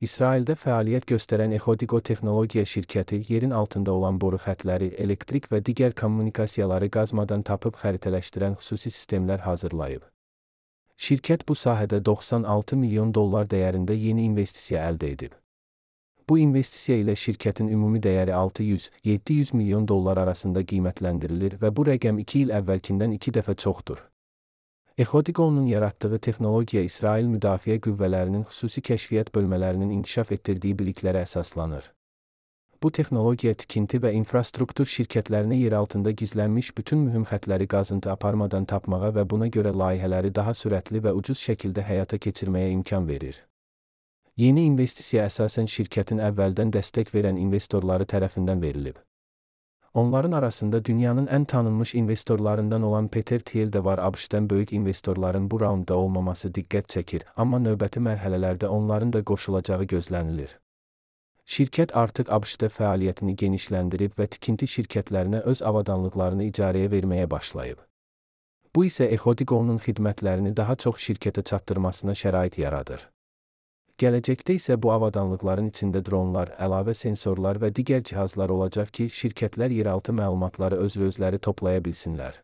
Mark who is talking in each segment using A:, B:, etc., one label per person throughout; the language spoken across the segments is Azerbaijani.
A: İsraildə fəaliyyət göstərən Exodigo Texnologiya şirkəti yerin altında olan boru xəttləri, elektrik və digər kommunikasiyaları qazmadan tapıb xəritələşdirən xüsusi sistemlər hazırlayıb. Şirkət bu sahədə $96 milyon dəyərində yeni investisiya əldə edib. Bu investisiya ilə şirkətin ümumi dəyəri $600-700 milyon arasında qiymətləndirilir və bu rəqəm 2 il əvvəlkindən 2 dəfə çoxdur. Exodigo'nun yaratdığı texnologiya İsrail Müdafiə Qüvvələrinin xüsusi kəşfiyyat bölmələrinin inkişaf etdirdiyi biliklərə əsaslanır. Bu texnologiya tikinti və infrastruktur şirkətlərinə yer altında gizlənmiş bütün mühüm xəttləri qazıntı aparmadan tapmağa və buna görə layihələri daha sürətli və ucuz şəkildə həyata keçirməyə imkan verir. Yeni investisiya əsasən şirkətin əvvəldən dəstək verən investorları tərəfindən verilib. Onların arasında dünyanın ən tanınmış investorlarından olan Peter Thiel də var. ABŞ-dən böyük investorların bu raundda olmaması diqqət çəkir, amma növbəti mərhələlərdə onların da qoşulacağı gözlənilir. Şirkət artıq ABŞ-da fəaliyyətini genişləndirib və tikinti şirkətlərinə öz avadanlıqlarını icarəyə verməyə başlayıb. Bu isə Exodigo'nun xidmətlərini daha çox şirkətə çatdırmasına şərait yaradır. Gələcəkdə isə bu avadanlıqların içində dronlar, əlavə sensorlar və digər cihazlar olacaq ki, şirkətlər yeraltı məlumatları özləri toplaya bilsinlər.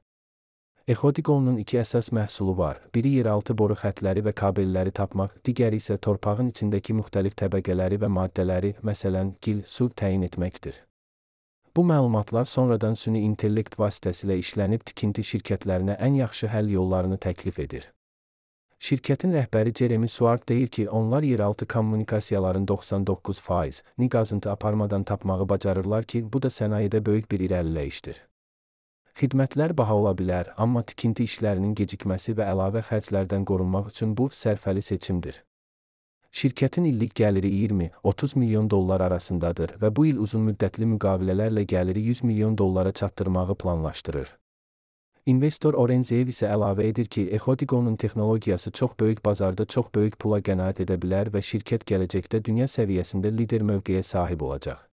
A: Exodigo'nun 2 əsas məhsulu var. Biri yeraltı boru xəttləri və kabelləri tapmaq, digəri isə torpağın içindəki müxtəlif təbəqələri və maddələri, məsələn, gil, su təyin etməkdir. Bu məlumatlar sonradan süni intellekt vasitəsilə işlənib tikinti şirkətlərinə ən yaxşı həll yollarını təklif edir. Şirkətin rəhbəri Jeremy Swart deyir ki, onlar yeraltı kommunikasiyaların 99%ni qazıntı aparmadan tapmağı bacarırlar ki, bu da sənayedə böyük bir irəliləyişdir. Xidmətlər baha ola bilər, amma tikinti işlərinin gecikməsi və əlavə xərclərdən qorunmaq üçün bu sərfəli seçimdir. Şirkətin illik gəliri $20-30 milyon arasındadır və bu il uzun müddətli müqavilələrlə gəliri $100 milyon çatdırmağı planlaşdırır. İnvestor Orenzev isə əlavə edir ki, Exodigo'nun texnologiyası çox böyük bazarda çox böyük pula qənaət edə bilər və şirkət gələcəkdə dünya səviyyəsində lider mövqeyə sahib olacaq.